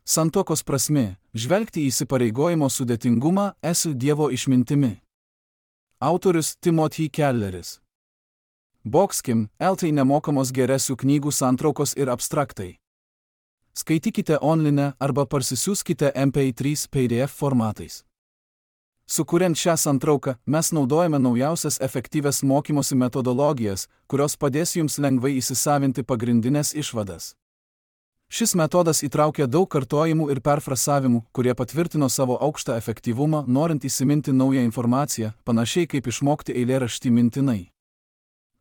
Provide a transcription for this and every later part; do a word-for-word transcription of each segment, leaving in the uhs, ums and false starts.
Santuokos prasmė – žvelgti į įsipareigojimo sudėtingumą esu Dievo išmintimi. Autorius Timothy Kelleris. Boxkim, eltai nemokamos geresių knygų santraukos ir abstraktai. Skaitykite online arba parsisiųskite M P trys P D F formatais. Sukuriant šią santrauką, mes naudojame naujausias efektyvias mokymosi metodologijas, kurios padės jums lengvai įsisavinti pagrindinės išvadas. Šis metodas įtraukia daug kartojimų ir perfrasavimų, kurie patvirtino savo aukštą efektyvumą, norint įsiminti naują informaciją, panašiai kaip išmokti eilėraštį mintinai.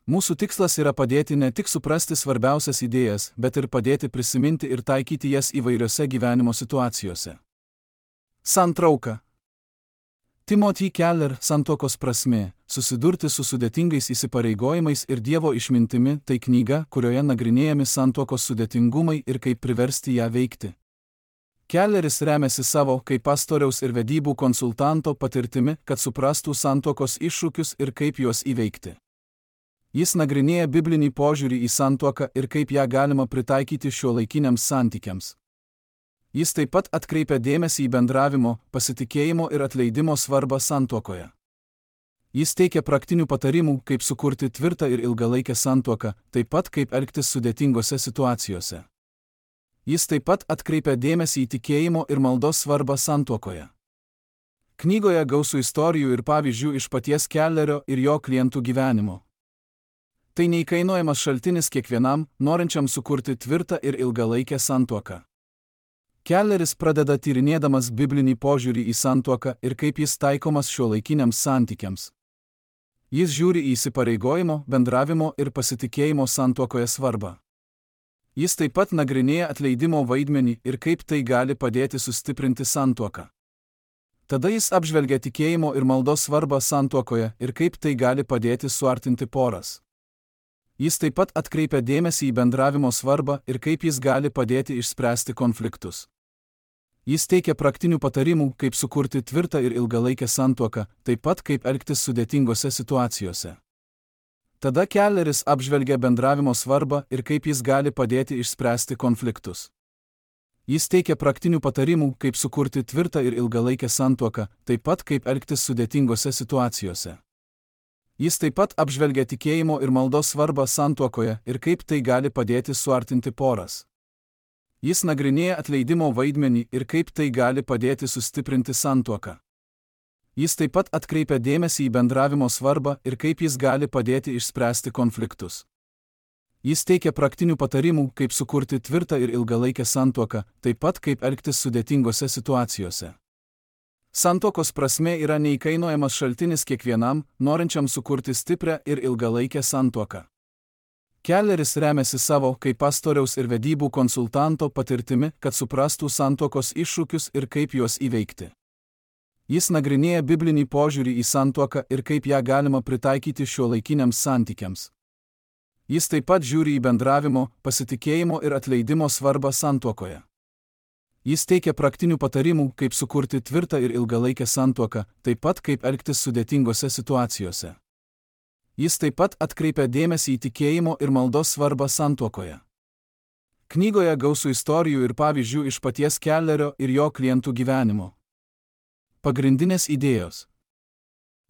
Mūsų tikslas yra padėti ne tik suprasti svarbiausias idėjas, bet ir padėti prisiminti ir taikyti jas įvairiose gyvenimo situacijose. Santrauka. Timothy Keller santuokos prasmė – susidurti su sudėtingais įsipareigojimais ir Dievo išmintimi – tai knyga, kurioje nagrinėjami santuokos sudėtingumai ir kaip priversti ją veikti. Kelleris remiasi savo, kaip pastoriaus ir vedybų konsultanto patirtimi, kad suprastų santuokos iššūkius ir kaip juos įveikti. Jis nagrinėja biblinį požiūrį į santuoką ir kaip ją galima pritaikyti šiuolaikiniams santykiams. Jis taip pat atkreipia dėmesį į bendravimo, pasitikėjimo ir atleidimo svarbą santuokoje. Jis teikia praktinių patarimų, kaip sukurti tvirtą ir ilgalaikę santuoką, taip pat kaip elgtis sudėtingose situacijose. Jis taip pat atkreipia dėmesį į tikėjimo ir maldos svarbą santuokoje. Knygoje gausu istorijų ir pavyzdžių iš paties Kellerio ir jo klientų gyvenimo. Tai neįkainojamas šaltinis kiekvienam, norinčiam sukurti tvirtą ir ilgalaikę santuoką. Kelleris pradeda tyrinėdamas biblinį požiūrį į santuoką ir kaip jis taikomas šiuolaikiniams santykiams. Jis žiūri į įsipareigojimo, bendravimo ir pasitikėjimo santuokoje svarbą. Jis taip pat nagrinėja atleidimo vaidmenį ir kaip tai gali padėti sustiprinti santuoką. Tada jis apžvelgia tikėjimo ir maldos svarbą santuokoje ir kaip tai gali padėti suartinti poras. Jis taip pat atkreipia dėmesį į bendravimo svarbą ir kaip jis gali padėti išspręsti konfliktus. Jis teikia praktinių patarimų, kaip sukurti tvirtą ir ilgalaikę santuoką, taip pat kaip elgtis sudėtingose situacijose. Tada Kelleris apžvelgia bendravimo svarbą ir kaip jis gali padėti išspręsti konfliktus. Jis teikia praktinių patarimų, kaip sukurti tvirtą ir ilgalaikę santuoką, taip pat kaip elgtis sudėtingose situacijose. Jis taip pat apžvelgia tikėjimo ir maldos svarbą santuokoje ir kaip tai gali padėti suartinti poras. Jis nagrinėja atleidimo vaidmenį ir kaip tai gali padėti sustiprinti santuoką. Jis taip pat atkreipia dėmesį į bendravimo svarbą ir kaip jis gali padėti išspręsti konfliktus. Jis teikia praktinių patarimų, kaip sukurti tvirtą ir ilgalaikę santuoką, taip pat kaip elgtis sudėtingose situacijose. Santuokos prasmė yra neįkainojamas šaltinis kiekvienam, norinčiam sukurti stiprią ir ilgalaikę santuoką. Kelleris remiasi savo, kaip pastoriaus ir vedybų konsultanto patirtimi, kad suprastų santuokos iššūkius ir kaip juos įveikti. Jis nagrinėja biblinį požiūrį į santuoką ir kaip ją galima pritaikyti šiuolaikiniams santykiams. Jis taip pat žiūri į bendravimo, pasitikėjimo ir atleidimo svarbą santuokoje. Jis teikia praktinių patarimų, kaip sukurti tvirtą ir ilgalaikę santuoką, taip pat kaip elgtis sudėtingose situacijose. Jis taip pat atkreipia dėmesį į tikėjimo ir maldos svarbą santuokoje. Knygoje gausu istorijų ir pavyzdžių iš paties Kellerio ir jo klientų gyvenimo. Pagrindinės idėjos.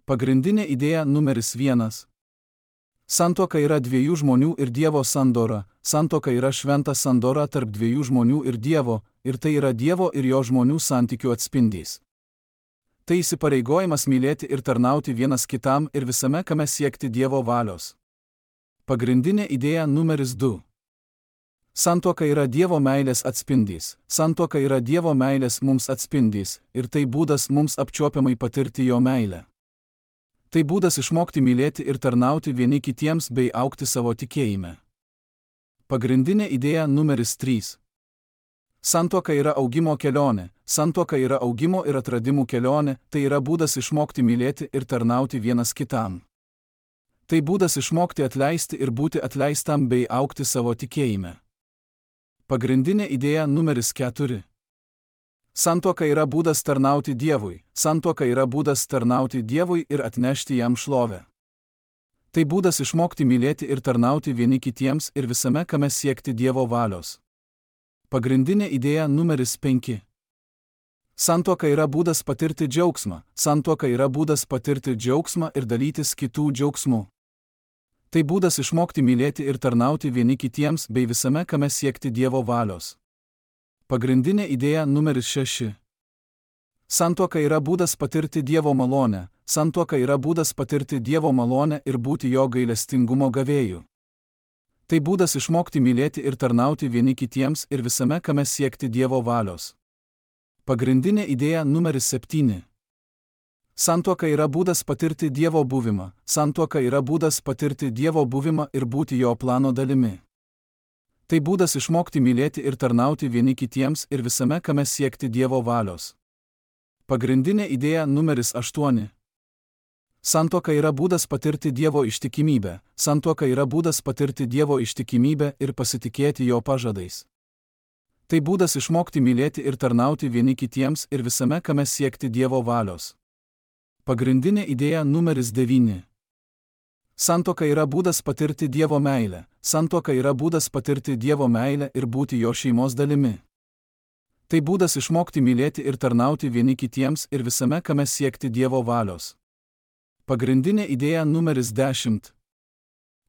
Pagrindinė idėja numeris vienas. Santuoka yra dviejų žmonių ir Dievo sandora. Santuoka yra šventa sandora tarp dviejų žmonių ir Dievo, ir tai yra Dievo ir jo žmonių santykių atspindys. Tai įsipareigojimas mylėti ir tarnauti vienas kitam ir visame kame siekti Dievo valios. Pagrindinė idėja numeris du. Santuoka yra Dievo meilės atspindys. Santuoka yra Dievo meilės mums atspindys, ir tai būdas mums apčiuopiamai patirti jo meilę. Tai būdas išmokti mylėti ir tarnauti vieni kitiems bei augti savo tikėjime. Pagrindinė idėja numeris trys. Santuoka yra augimo kelionė. Santuoka yra augimo ir atradimų kelionė, tai yra būdas išmokti mylėti ir tarnauti vienas kitam. Tai būdas išmokti atleisti ir būti atleistam bei augti savo tikėjime. Pagrindinė idėja numeris keturi. Santuoka yra būdas tarnauti Dievui. Santuoka yra būdas tarnauti Dievui ir atnešti jam šlovę. Tai būdas išmokti mylėti ir tarnauti vieni kitiems ir visame kame siekti Dievo valios. Pagrindinė idėja numeris penki. Santuoka yra būdas patirti džiaugsmą, santuoka yra būdas patirti džiaugsmą ir dalytis kitų džiaugsmu. Tai būdas išmokti mylėti ir tarnauti vieni kitiems bei visame kame siekti Dievo valios. Pagrindinė idėja numeris šeši. Santuoka yra būdas patirti Dievo malonę, santuoka yra būdas patirti Dievo malonę ir būti jo gailestingumo gavėju. Tai būdas išmokti mylėti ir tarnauti vieni kitiems ir visame kame siekti Dievo valios. Pagrindinė idėja numeris septyni. Santuoka yra būdas patirti Dievo buvimą, santuoka yra būdas patirti Dievo buvimą ir būti jo plano dalimi. Tai būdas išmokti mylėti ir tarnauti vieni kitiems ir visame kame siekti Dievo valios. Pagrindinė idėja numeris aštuoni. Santuoka yra būdas patirti Dievo ištikimybę, santuoka yra būdas patirti Dievo ištikimybę ir pasitikėti jo pažadais. Tai būdas išmokti mylėti ir tarnauti vieni kitiems ir visame kame siekti Dievo valios. Pagrindinė idėja numeris devyni. Santuoka yra būdas patirti Dievo meilę, santuoka yra būdas patirti Dievo meilę ir būti jo šeimos dalimi. Tai būdas išmokti mylėti ir tarnauti vieni kitiems ir visame kame siekti Dievo valios. Pagrindinė idėja numeris dešimt.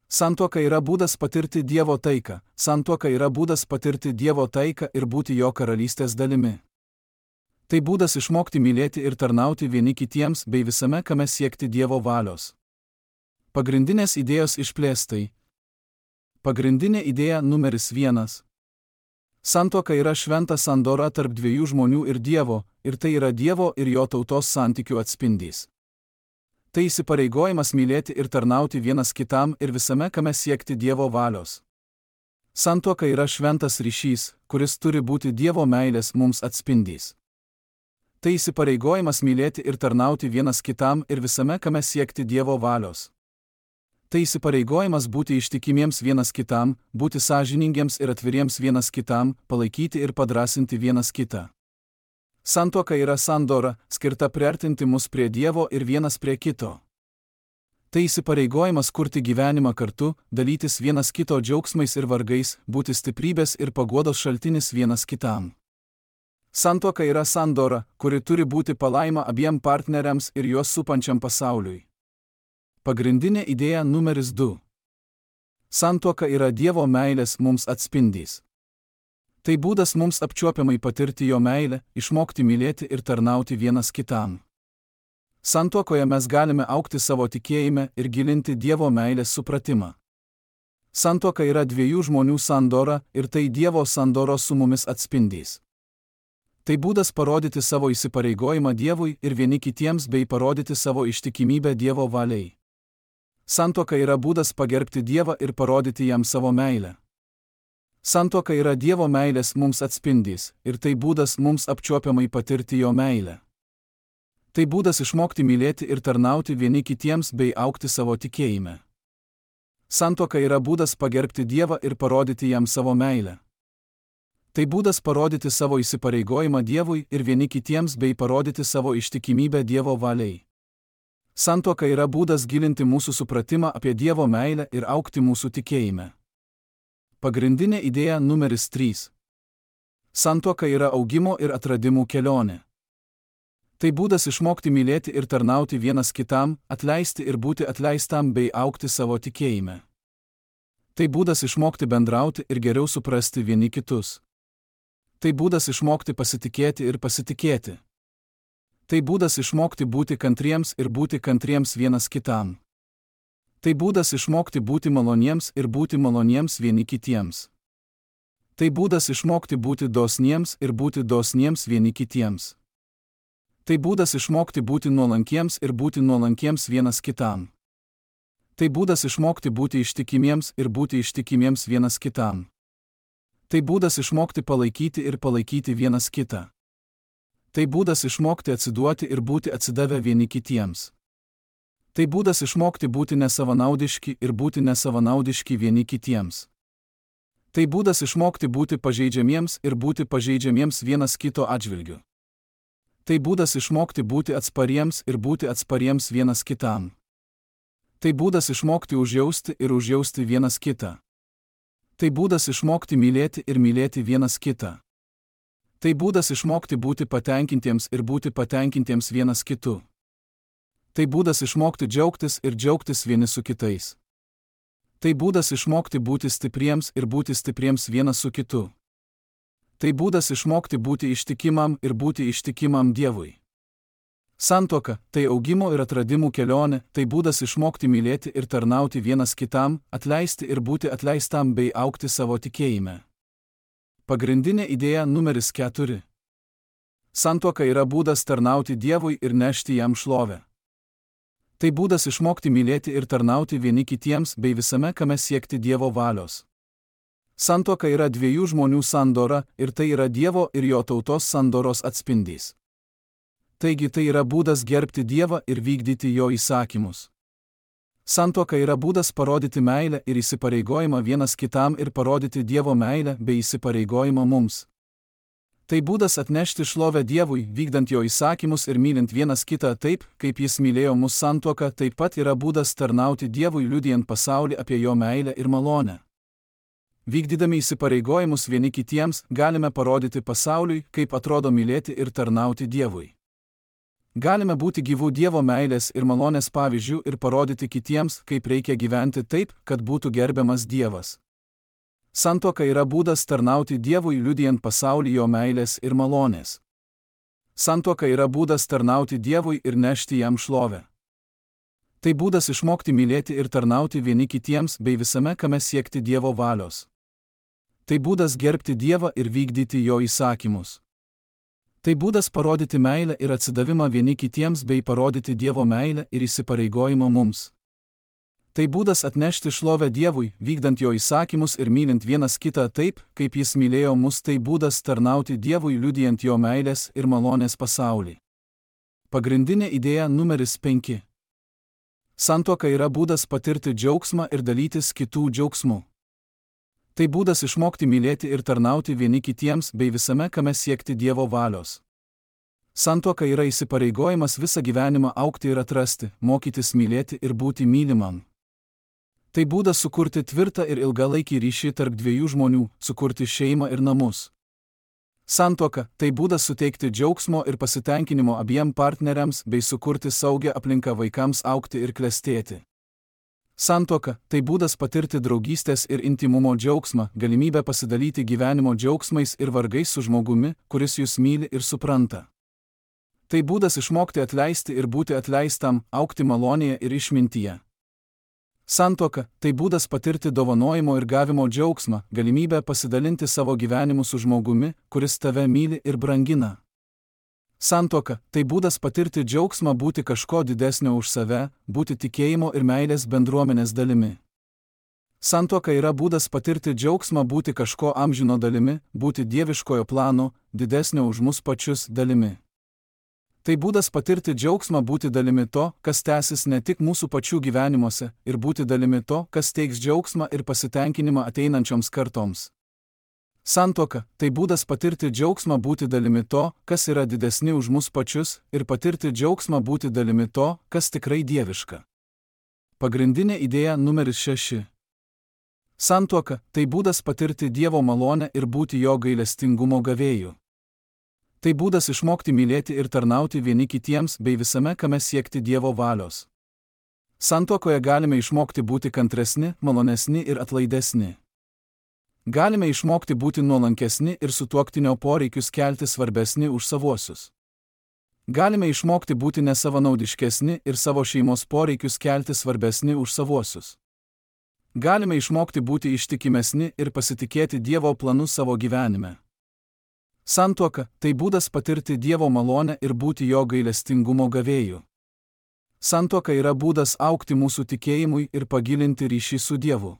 Santuoka yra būdas patirti Dievo taiką, santuoka yra būdas patirti Dievo taiką ir būti jo karalystės dalimi. Tai būdas išmokti mylėti ir tarnauti vieni kitiems bei visame kame siekti Dievo valios. Pagrindinės idėjos išplėstai. Pagrindinė idėja numeris vienas. Santuoka yra šventa sandora tarp dviejų žmonių ir Dievo, ir tai yra Dievo ir jo tautos santykių atspindys. Tai įsipareigojimas mylėti ir tarnauti vienas kitam ir visame kame siekti Dievo valios. Santuoka yra šventas ryšys, kuris turi būti Dievo meilės mums atspindys. Tai įsipareigojimas mylėti ir tarnauti vienas kitam ir visame kame siekti Dievo valios. Tai įsipareigojimas būti ištikimiems vienas kitam, būti sąžiningiems ir atviriems vienas kitam, palaikyti ir padrasinti vienas kitą. Santuoka yra sandora, skirta priartinti mus prie Dievo ir vienas prie kito. Tai įsipareigojimas kurti gyvenimą kartu, dalytis vienas kito džiaugsmais ir vargais, būti stiprybės ir paguodos šaltinis vienas kitam. Santuoka yra sandora, kuri turi būti palaima abiem partneriams ir juos supančiam pasauliui. Pagrindinė idėja numeris du. Santuoka yra Dievo meilės mums atspindys. Tai būdas mums apčiuopiamai patirti jo meilę, išmokti mylėti ir tarnauti vienas kitam. Santuokoje mes galime augti savo tikėjime ir gilinti Dievo meilės supratimą. Santuoka yra dviejų žmonių sandora ir tai Dievo sandoros su mumis atspindys. Tai būdas parodyti savo įsipareigojimą Dievui ir vieni kitiems bei parodyti savo ištikimybę Dievo valiai. Santuoka yra būdas pagerbti Dievą ir parodyti jam savo meilę. Santuoka yra Dievo meilės mums atspindys ir tai būdas mums apčiuopiamai patirti jo meilę. Tai būdas išmokti mylėti ir tarnauti vieni kitiems bei augti savo tikėjime. Santuoka yra būdas pagerbti Dievą ir parodyti jam savo meilę. Tai būdas parodyti savo įsipareigojimą Dievui ir vieni kitiems bei parodyti savo ištikimybę Dievo valiai. Santuoka yra būdas gilinti mūsų supratimą apie Dievo meilę ir augti mūsų tikėjime. Pagrindinė idėja numeris trys. Santuoka yra augimo ir atradimų kelionė. Tai būdas išmokti mylėti ir tarnauti vienas kitam, atleisti ir būti atleistam bei augti savo tikėjime. Tai būdas išmokti bendrauti ir geriau suprasti vieni kitus. Tai būdas išmokti pasitikėti ir pasitikėti. Tai būdas išmokti būti kantriems ir būti kantriems vienas kitam. Tai būdas išmokti būti maloniems ir būti maloniems vieni kitiems. Tai būdas išmokti būti dosniems ir būti dosniems vieni kitiems. Tai būdas išmokti būti nuolankiems ir būti nuolankiems vienas kitam. Tai būdas išmokti būti ištikimiems ir būti ištikimiems vienas kitam. Tai būdas išmokti palaikyti ir palaikyti vienas kitą. Tai būdas išmokti atsiduoti ir būti atsidavę vieni kitiems. Tai būdas išmokti būti nesavanaudiški ir būti nesavanaudiški vieni kitiems. Tai būdas išmokti būti pažeidžiamiems ir būti pažeidžiamiems vienas kito atžvilgiu. Tai būdas išmokti būti atspariems ir būti atspariems vienas kitam. Tai būdas išmokti užjausti ir užjausti vienas kitą. Tai būdas išmokti mylėti ir mylėti vienas kitą. Tai būdas išmokti būti patenkintiems ir būti patenkintiems vienas kitu. Tai būdas išmokti džiaugtis ir džiaugtis vieni su kitais. Tai būdas išmokti būti stipriems ir būti stipriems vienas su kitu. Tai būdas išmokti būti ištikimam ir būti ištikimam Dievui. Santuoka – tai augimo ir atradimų kelionė, tai būdas išmokti mylėti ir tarnauti vienas kitam, atleisti ir būti atleistam bei augti savo tikėjime. Pagrindinė idėja numeris keturi. Santuoka yra būdas tarnauti Dievui ir nešti jam šlovę. Tai būdas išmokti mylėti ir tarnauti vieni kitiems bei visame kame siekti Dievo valios. Santuoka yra dviejų žmonių sandora ir tai yra Dievo ir jo tautos sandoros atspindys. Taigi tai yra būdas gerbti Dievą ir vykdyti jo įsakymus. Santuoka yra būdas parodyti meilę ir įsipareigojimą vienas kitam ir parodyti Dievo meilę bei įsipareigojimą mums. Tai būdas atnešti šlovę Dievui, vykdant jo įsakymus ir mylint vienas kitą taip, kaip jis mylėjo mus. Santuoka taip pat yra būdas tarnauti Dievui, liudijant pasaulį apie jo meilę ir malonę. Vykdydami įsipareigojimus vieni kitiems, galime parodyti pasauliui, kaip atrodo mylėti ir tarnauti Dievui. Galime būti gyvų Dievo meilės ir malonės pavyzdžių ir parodyti kitiems, kaip reikia gyventi taip, kad būtų gerbiamas Dievas. Santuoka yra būdas tarnauti Dievui, liudijant pasaulį jo meilės ir malonės. Santuoka yra būdas tarnauti Dievui ir nešti jam šlovę. Tai būdas išmokti mylėti ir tarnauti vieni kitiems bei visame kame siekti Dievo valios. Tai būdas gerbti Dievą ir vykdyti jo įsakymus. Tai būdas parodyti meilę ir atsidavimą vieni kitiems bei parodyti Dievo meilę ir įsipareigojimą mums. Tai būdas atnešti šlovę Dievui, vykdant jo įsakymus ir mylint vienas kitą taip, kaip jis mylėjo mus. Tai būdas tarnauti Dievui, liudijant jo meilės ir malonės pasaulį. Pagrindinė idėja numeris penki. Santuoka yra būdas patirti džiaugsmą ir dalytis kitų džiaugsmu. Tai būdas išmokti mylėti ir tarnauti vieni kitiems bei visame kame siekti Dievo valios. Santuoka yra įsipareigojimas visą gyvenimą augti ir atrasti, mokytis mylėti ir būti mylimam. Tai būdas sukurti tvirtą ir ilgalaikį ryšį tarp dviejų žmonių, sukurti šeimą ir namus. Santuoka – tai būdas suteikti džiaugsmo ir pasitenkinimo abiem partneriams bei sukurti saugią aplinką vaikams augti ir klestėti. Santuoka – tai būdas patirti draugystės ir intimumo džiaugsmą, galimybę pasidalyti gyvenimo džiaugsmais ir vargais su žmogumi, kuris jūs myli ir supranta. Tai būdas išmokti atleisti ir būti atleistam, augti malonėje ir išmintyje. Santuoka – tai būdas patirti dovanojimo ir gavimo džiaugsmą, galimybę pasidalinti savo gyvenimu su žmogumi, kuris tave myli ir brangina. Santuoka – tai būdas patirti džiaugsmą būti kažko didesnio už save, būti tikėjimo ir meilės bendruomenės dalimi. Santuoka yra būdas patirti džiaugsmą būti kažko amžino dalimi, būti dieviškojo plano, didesnio už mus pačius dalimi. Tai būdas patirti džiaugsmą būti dalimi to, kas tęsis ne tik mūsų pačių gyvenimuose, ir būti dalimi to, kas teiks džiaugsmą ir pasitenkinimą ateinančioms kartoms. Santuoka – tai būdas patirti džiaugsmą būti dalimi to, kas yra didesni už mus pačius, ir patirti džiaugsmą būti dalimi to, kas tikrai dieviška. Pagrindinė idėja numeris šeši. Santuoka – tai būdas patirti Dievo malonę ir būti jo gailestingumo gavėju. Tai būdas išmokti mylėti ir tarnauti vieni kitiems bei visame kame siekti Dievo valios. Santuokoje galime išmokti būti kantresni, malonesni ir atlaidesni. Galime išmokti būti nuolankesni ir sutuoktinio poreikius kelti svarbesni už savuosius. Galime išmokti būti nesavanaudiškesni ir savo šeimos poreikius kelti svarbesni už savuosius. Galime išmokti būti ištikimesni ir pasitikėti Dievo planu savo gyvenime. Santuoka – tai būdas patirti Dievo malonę ir būti jo gailestingumo gavėju. Santuoka yra būdas augti mūsų tikėjimui ir pagilinti ryšį su Dievu.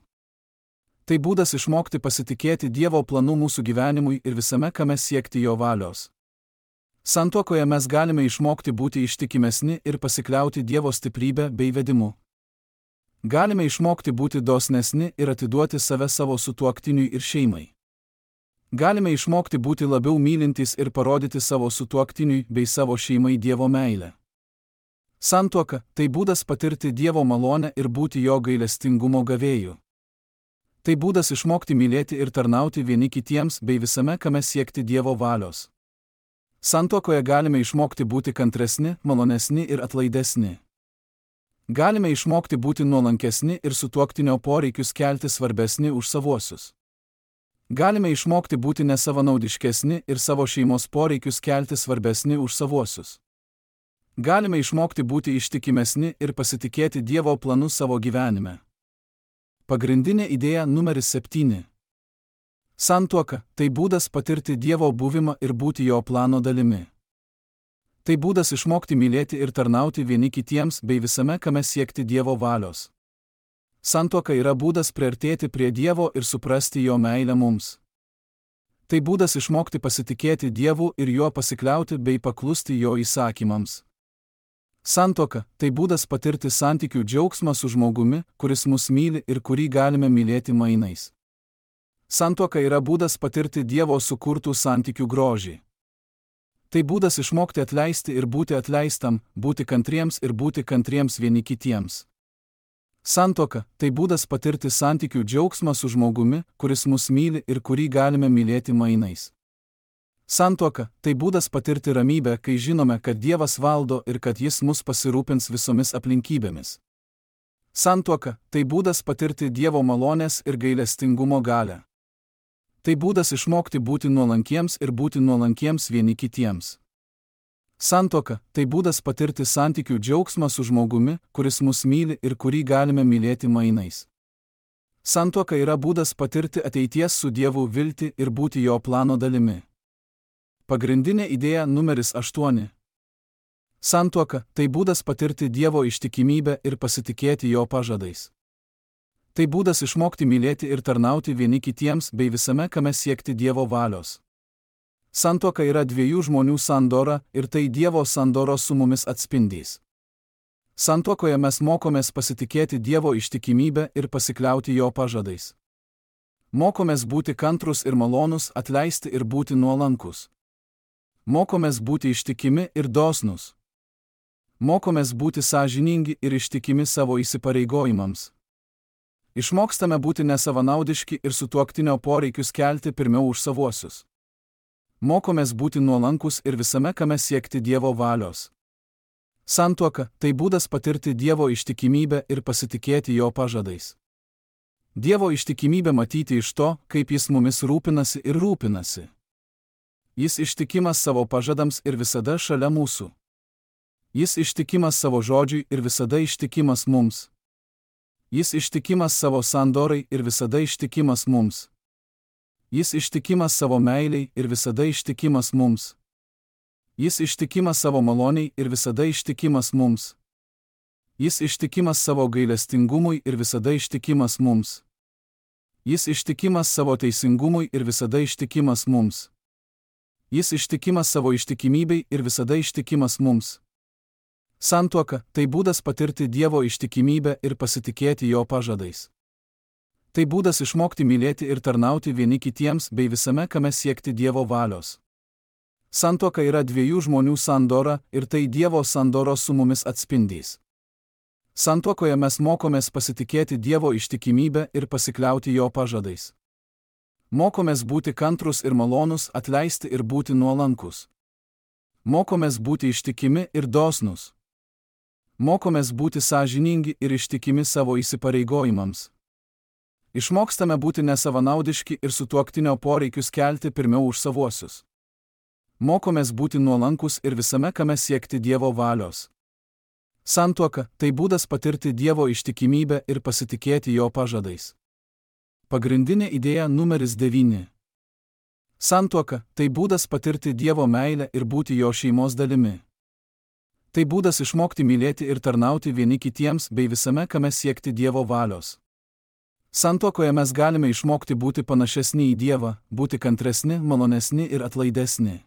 Tai būdas išmokti pasitikėti Dievo planu mūsų gyvenimui ir visame kame siekti jo valios. Santuokoje mes galime išmokti būti ištikimesni ir pasikliauti Dievo stiprybę bei vedimu. Galime išmokti būti dosnesni ir atiduoti save savo sutuoktiniui ir šeimai. Galime išmokti būti labiau mylintys ir parodyti savo sutuoktiniui bei savo šeimai Dievo meilę. Santuoka – tai būdas patirti Dievo malonę ir būti jo gailestingumo gavėju. Tai būdas išmokti mylėti ir tarnauti vieni kitiems bei visame kame siekti Dievo valios. Santuokoje galime išmokti būti kantresni, malonesni ir atlaidesni. Galime išmokti būti nuolankesni ir sutuoktinio poreikius kelti svarbesni už savuosius. Galime išmokti būti nesavanaudiškesni ir savo šeimos poreikius kelti svarbesni už savuosius. Galime išmokti būti ištikimesni ir pasitikėti Dievo planu savo gyvenime. Pagrindinė idėja numeris septyni. Santuoka – tai būdas patirti Dievo buvimą ir būti jo plano dalimi. Tai būdas išmokti mylėti ir tarnauti vieni kitiems bei visame kame siekti Dievo valios. Santuoka yra būdas priartėti prie Dievo ir suprasti jo meilę mums. Tai būdas išmokti pasitikėti Dievu ir juo pasikliauti bei paklusti jo įsakymams. Santuoka – tai būdas patirti santykių džiaugsmą su žmogumi, kuris mus myli ir kurį galime mylėti mainais. Santuoka yra būdas patirti Dievo sukurtų santykių grožį. Tai būdas išmokti atleisti ir būti atleistam, būti kantriems ir būti kantriems vieni kitiems. Santuoka – tai būdas patirti santykių džiaugsmą su žmogumi, kuris mus myli ir kurį galime mylėti mainais. Santuoka – tai būdas patirti ramybę, kai žinome, kad Dievas valdo ir kad Jis mus pasirūpins visomis aplinkybėmis. Santuoka – tai būdas patirti Dievo malonės ir gailestingumo galią. Tai būdas išmokti būti nuolankiems ir būti nuolankiems vieni kitiems. Santuoka – tai būdas patirti santykių džiaugsmą su žmogumi, kuris mus myli ir kurį galime mylėti mainais. Santuoka yra būdas patirti ateities su Dievu viltį ir būti jo plano dalimi. Pagrindinė idėja numeris aštuoni. Santuoka – tai būdas patirti Dievo ištikimybę ir pasitikėti jo pažadais. Tai būdas išmokti mylėti ir tarnauti vieni kitiems bei visame kame siekti Dievo valios. Santuoka yra dviejų žmonių sandora ir tai Dievo sandoros su mumis atspindys. Santuokoje mes mokomės pasitikėti Dievo ištikimybę ir pasikliauti jo pažadais. Mokomės būti kantrus ir malonus, atleisti ir būti nuolankus. Mokomės būti ištikimi ir dosnus. Mokomės būti sąžiningi ir ištikimi savo įsipareigojimams. Išmokstame būti nesavanaudiški ir sutuoktinio poreikius kelti pirmiau už savuosius. Mokomės būti nuolankus ir visame kame siekti Dievo valios. Santuoka – tai būdas patirti Dievo ištikimybę ir pasitikėti jo pažadais. Dievo ištikimybę matyti iš to, kaip Jis mumis rūpinasi ir rūpinasi. Jis ištikimas savo pažadams ir visada šalia mūsų. Jis ištikimas savo žodžiui ir visada ištikimas mums. Jis ištikimas savo sandorai ir visada ištikimas mums. Jis ištikimas savo meiliai ir visada ištikimas mums. Jis ištikimas savo maloniai ir visada ištikimas mums. Jis ištikimas savo gailestingumui ir visada ištikimas mums. Jis ištikimas savo teisingumui ir visada ištikimas mums. Jis ištikimas savo ištikimybei ir visada ištikimas mums. Santuoka – tai būdas patirti Dievo ištikimybę ir pasitikėti jo pažadais. Tai būdas išmokti mylėti ir tarnauti vieni kitiems bei visame kame siekti Dievo valios. Santuoka yra dviejų žmonių sandora ir tai Dievo sandoros su mumis atspindys. Santuokoje mes mokomės pasitikėti Dievo ištikimybę ir pasikliauti jo pažadais. Mokomės būti kantrus ir malonus, atleisti ir būti nuolankus. Mokomės būti ištikimi ir dosnus. Mokomės būti sąžiningi ir ištikimi savo įsipareigojimams. Išmokstame būti nesavanaudiški ir sutuoktinio poreikius kelti pirmiau už savuosius. Mokomės būti nuolankus ir visame kame siekti Dievo valios. Santuoka – tai būdas patirti Dievo ištikimybę ir pasitikėti jo pažadais. Pagrindinė idėja numeris devyni. Santuoka – tai būdas patirti Dievo meilę ir būti jo šeimos dalimi. Tai būdas išmokti mylėti ir tarnauti vieni kitiems bei visame kame siekti Dievo valios. Santuokoje mes galime išmokti būti panašesni į Dievą, būti kantresni, malonesni ir atlaidesni.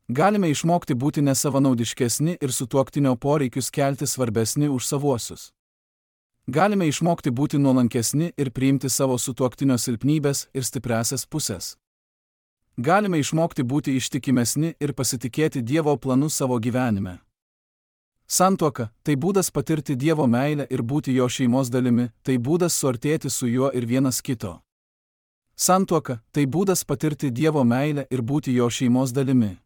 Galime išmokti būti nesavanaudiškesni ir sutuoktinio poreikius kelti svarbesni už savuosius. Galime išmokti būti nuolankesni ir priimti savo sutuoktinio silpnybes ir stipriąsias pusės. Galime išmokti būti ištikimesni ir pasitikėti Dievo planu savo gyvenime. Santuoka – tai būdas patirti Dievo meilę ir būti jo šeimos dalimi, tai būdas suartėti su juo ir vienas kito. Santuoka – tai būdas patirti Dievo meilę ir būti jo šeimos dalimi.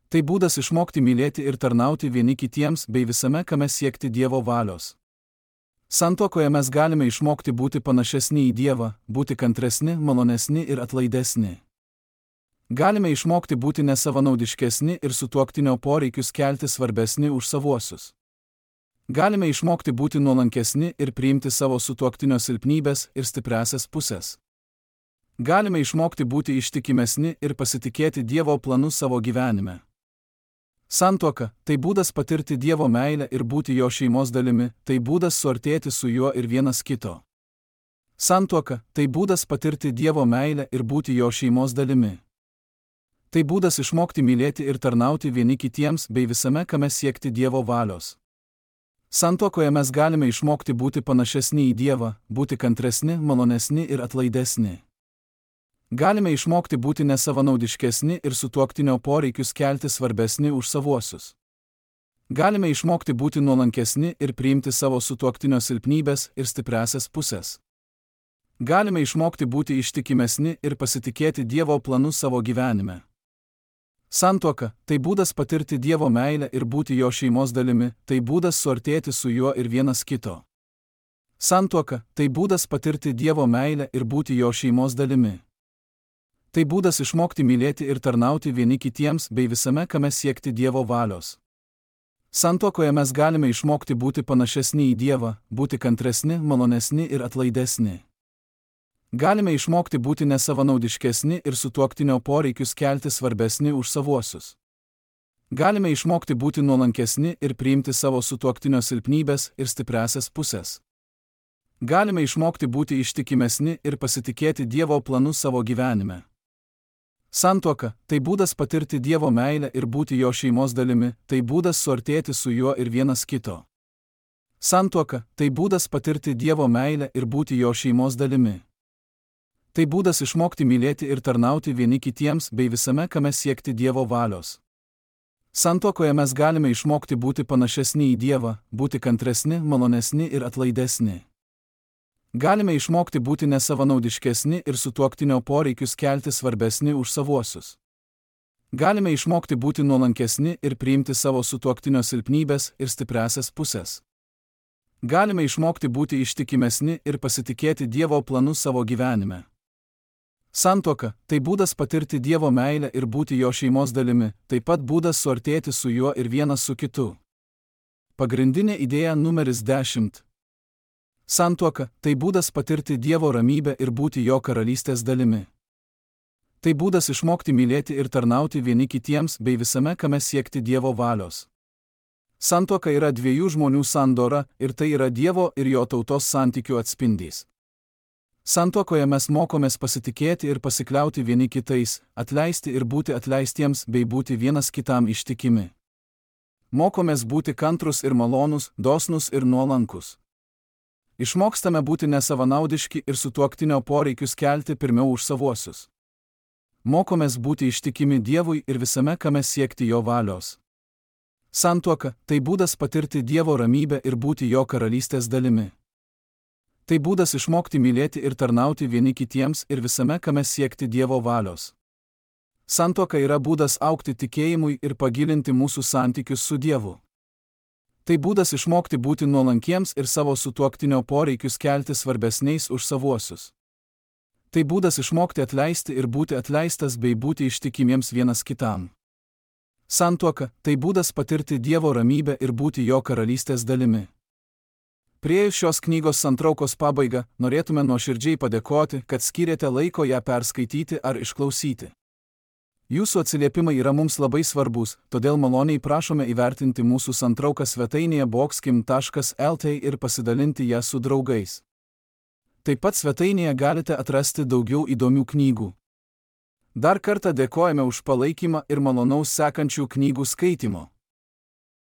Tai būdas išmokti mylėti ir tarnauti vieni kitiems bei visame kame siekti Dievo valios. Santuokoje mes galime išmokti būti panašesni į Dievą, būti kantresni, malonesni ir atlaidesni. Galime išmokti būti nesavanaudiškesni ir sutuoktinio poreikius kelti svarbesni už savuosius. Galime išmokti būti nuolankesni ir priimti savo sutuoktinio silpnybės ir stipriasias pusės. Galime išmokti būti ištikimesni ir pasitikėti Dievo planu savo gyvenime. Santuoka – tai būdas patirti Dievo meilę ir būti jo šeimos dalimi, tai būdas suartėti su juo ir vienas kito. Santuoka – tai būdas patirti Dievo meilę ir būti jo šeimos dalimi. Tai būdas išmokti mylėti ir tarnauti vieni kitiems bei visame kame siekti Dievo valios. Santuokoje mes galime išmokti būti panašesni į Dievą, būti kantresni, malonesni ir atlaidesni. Galime išmokti būti nesavanaudiškesni ir sutuoktinio poreikius kelti svarbesni už savuosius. Galime išmokti būti nuolankesni ir priimti savo sutuoktinio silpnybės ir stipriasias pusės. Galime išmokti būti ištikimesni ir pasitikėti Dievo planu savo gyvenime. Santuoka – tai būdas patirti Dievo meilę ir būti jo šeimos dalimi, tai būdas suartėti su juo ir vienas kito. Santuoka – tai būdas patirti Dievo meilę ir būti jo šeimos dalimi. Tai būdas išmokti mylėti ir tarnauti vieni kitiems bei visame kame siekti Dievo valios. Santuokoje mes galime išmokti būti panašesni į Dievą, būti kantresni, malonesni ir atlaidesni. Galime išmokti būti nesavanaudiškesni ir sutuoktinio poreikius kelti svarbesni už savuosius. Galime išmokti būti nuolankesni ir priimti savo sutuoktinio silpnybės ir stipriasias pusės. Galime išmokti būti ištikimesni ir pasitikėti Dievo planu savo gyvenime. Santuoka – tai būdas patirti Dievo meilę ir būti jo šeimos dalimi, tai būdas suartėti su juo ir vienas kito. Santuoka – tai būdas patirti Dievo meilę ir būti jo šeimos dalimi. Tai būdas išmokti mylėti ir tarnauti vieni kitiems bei visame kame siekti Dievo valios. Santuokoje mes galime išmokti būti panašesni į Dievą, būti kantresni, malonesni ir atlaidesni. Galime išmokti būti nesavanaudiškesni ir sutuoktinio poreikius kelti svarbesni už savuosius. Galime išmokti būti nuolankesni ir priimti savo sutuoktinio silpnybės ir stipriasias pusės. Galime išmokti būti ištikimesni ir pasitikėti Dievo planu savo gyvenime. Santuoka – tai būdas patirti Dievo meilę ir būti jo šeimos dalimi, taip pat būdas suartėti su juo ir vienas su kitu. Pagrindinė idėja numeris dešimt. Santuoka – tai būdas patirti Dievo ramybę ir būti jo karalystės dalimi. Tai būdas išmokti mylėti ir tarnauti vieni kitiems bei visame kame siekti Dievo valios. Santuoka yra dviejų žmonių sandora ir tai yra Dievo ir jo tautos santykių atspindys. Santuokoje mes mokomės pasitikėti ir pasikliauti vieni kitais, atleisti ir būti atleistiems bei būti vienas kitam ištikimi. Mokomės būti kantrus ir malonus, dosnus ir nuolankus. Išmokstame būti nesavanaudiški ir sutuoktinio poreikius kelti pirmiau už savuosius. Mokomės būti ištikimi Dievui ir visame kame siekti jo valios. Santuoka – tai būdas patirti Dievo ramybę ir būti jo karalystės dalimi. Tai būdas išmokti mylėti ir tarnauti vieni kitiems ir visame kame siekti Dievo valios. Santuoka yra būdas augti tikėjimui ir pagilinti mūsų santykius su Dievu. Tai būdas išmokti būti nuolankiems ir savo sutuoktinio poreikius kelti svarbesniais už savuosius. Tai būdas išmokti atleisti ir būti atleistas bei būti ištikimiems vienas kitam. Santuoka – tai būdas patirti Dievo ramybę ir būti jo karalystės dalimi. Priėjus šios knygos santraukos pabaigą, norėtume nuoširdžiai padėkoti, kad skyrėte laiko ją perskaityti ar išklausyti. Jūsų atsiliepimai yra mums labai svarbus, todėl maloniai prašome įvertinti mūsų santrauką svetainėje boxkim taškas lt ir pasidalinti ją su draugais. Taip pat svetainėje galite atrasti daugiau įdomių knygų. Dar kartą dėkojame už palaikymą ir malonaus sekančių knygų skaitimo.